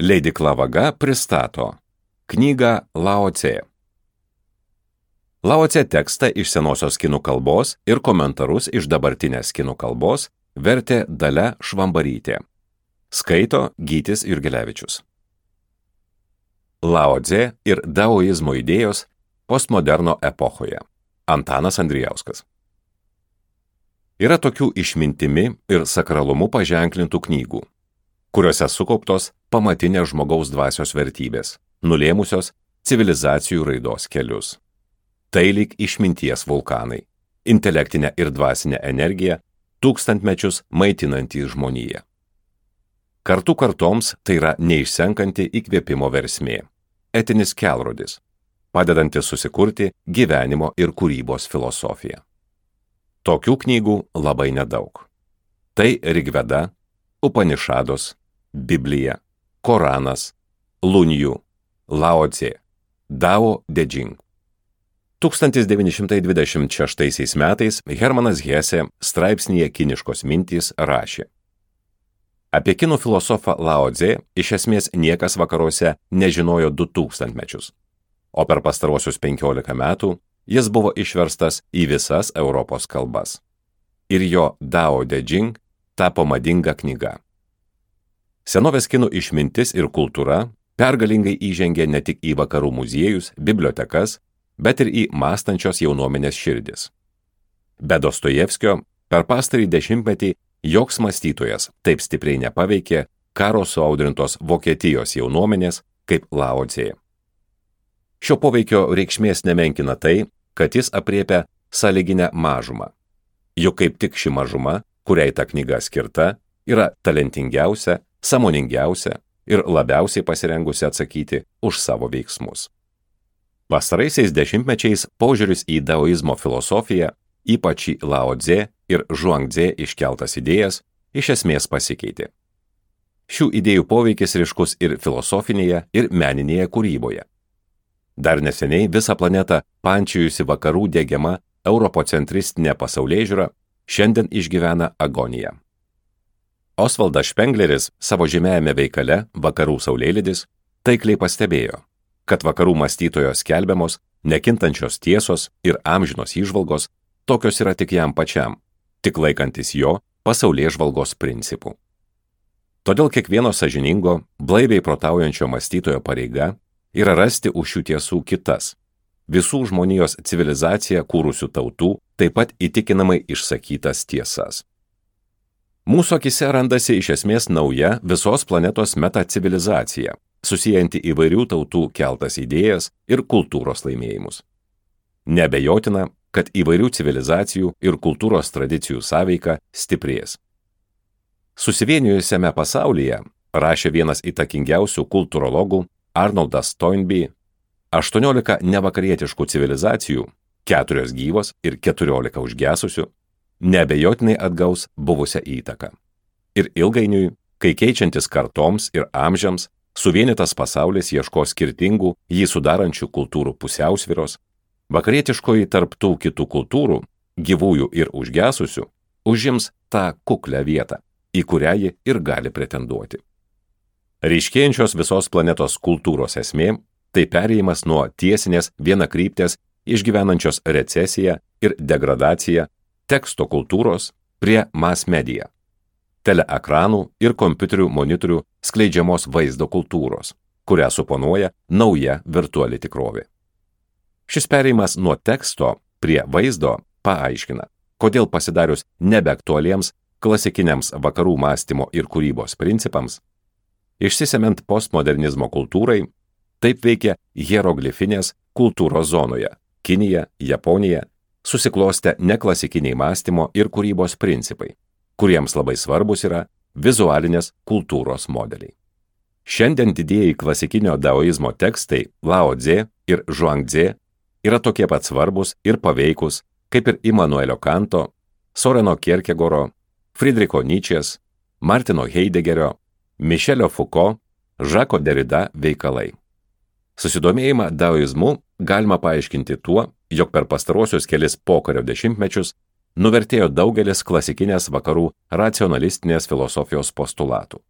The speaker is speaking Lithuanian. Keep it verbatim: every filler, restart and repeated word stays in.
Leidykla Vaga pristato knygą Lao Tse. Lao Tse tekstą iš senosios kinų kalbos ir komentarus iš dabartinės kinų kalbos vertė Dalia Švambarytė. Skaito Gytis Jurgelevičius. Lao Tse ir daoizmo idėjos postmoderno epochoje. Antanas Andrijauskas. Yra tokių išmintimi ir sakralumu paženklintų knygų, kuriuose sukauptos pamatinės žmogaus dvasios vertybės, nulėmusios civilizacijų raidos kelius. Tai lyg išminties vulkanai, intelektinė ir dvasinė energija, tūkstantmečius maitinantys žmoniją. Kartų kartoms tai yra neišsenkanti įkvėpimo versmė, etinis kelrodis, padedantis susikurti gyvenimo ir kūrybos filosofiją. Tokių knygų labai nedaug. Tai Rigveda, Upanišados, Biblija, Koranas, Lunjų, Lao Tse, Dao De Jing. tūkstantis devyni šimtai dvidešimt šeštaisiais metais Hermanas Hesė straipsnyje Kiniškos mintys rašė: apie kinų filosofą Lao Tse iš esmės niekas vakaruose nežinojo du tūkstantmečius, o per pastaruosius penkiolika metų jis buvo išverstas į visas Europos kalbas. Ir jo Dao De Jing tapo madinga knyga. Senovės kinų išmintis ir kultūra pergalingai įžengė ne tik į vakarų muziejus, bibliotekas, bet ir į mąstančios jaunuomenės širdis. Be Dostojevskio per pastarį dešimtmetį joks mąstytojas taip stipriai nepaveikė karo suaudrintos Vokietijos jaunuomenės kaip Lao Tse. Šio poveikio reikšmės nemenkina tai, kad jis apriepia sąlyginę mažumą. Juk kaip tik ši mažuma, kuriai ta knyga skirta, yra talentingiausia, sąmoningiausia ir labiausiai pasirengusi atsakyti už savo veiksmus. Pastaraisiais dešimtmečiais požiūris į daoizmo filosofiją, ypač į Lao Tse ir Zhuangzi iškeltas idėjas, iš esmės pasikeitė. Šių idėjų poveikis ryškus ir filosofinėje, ir meninėje kūryboje. Dar neseniai visą planetą pančiojusi vakarų diegiama europocentristinė pasaulėžiūra šiandien išgyvena agoniją. Osvaldas Špengleris savo žymiajame veikale Vakarų saulėlydis taikliai pastebėjo, kad vakarų mąstytojo skelbiamos nekintančios tiesos ir amžinos įžvalgos tokios yra tik jam pačiam, tik laikantis jo pasaulėžvalgos principų. Todėl kiekvieno sąžiningo, blaiviai protaujančio mąstytojo pareiga yra rasti už šių tiesų kitas, visų žmonijos civilizaciją kūrusių tautų, taip pat įtikinamai išsakytas tiesas. Mūsų akise randasi iš esmės nauja visos planetos metacivilizacija, susijanti įvairių tautų keltas idėjas ir kultūros laimėjimus. Neabejotina, kad įvairių civilizacijų ir kultūros tradicijų sąveika stiprės. Susivienijusiame pasaulyje, rašė vienas įtakingiausių kultūrologų Arnoldas Toynbee, aštuoniolika nevakarietiškų civilizacijų, keturios gyvos ir keturiolika užgesusių, neabejotinai atgaus buvusią įtaką. Ir ilgainiui, kai keičiantis kartoms ir amžiams, suvienytas pasaulis ieško skirtingų jį sudarančių kultūrų pusiausvyros, vakarietiškoji tarp tų kitų kultūrų, gyvųjų ir užgesusių, užims tą kuklią vietą, į kurią ji ir gali pretenduoti. Ryškėjančios visos planetos kultūros esmė – tai perėjimas nuo tiesinės vienakryptės išgyvenančios recesiją ir degradaciją teksto kultūros prie mass media, teleekranų ir kompiuterių monitorių skleidžiamos vaizdo kultūros, kurią suponuoja nauja virtuali tikrovė. Šis perėjimas nuo teksto prie vaizdo paaiškina, kodėl pasidarius nebeaktualiems klasikiniams vakarų mąstymo ir kūrybos principams, išsisemiant postmodernizmo kultūrai, taip veikia hieroglifinės kultūros zonoje – Kinija, Japonija – susiklostę neklasikiniai mąstymo ir kūrybos principai, kuriems labai svarbus yra vizualinės kultūros modeliai. Šiandien didieji klasikinio daoizmo tekstai Lao Tse ir Zhuangzi yra tokie pat svarbus ir paveikus kaip ir Immanuelio Kanto, Soreno Kierkegoro, Friedricho Nietzschės, Martino Heideggerio, Michelio Foucault, Žako Derrida veikalai. Susidomėjimą daoizmu galima paaiškinti tuo, jog per pastaruosius kelis pokario dešimtmečius nuvertėjo daugelis klasikinės vakarų racionalistinės filosofijos postulatų.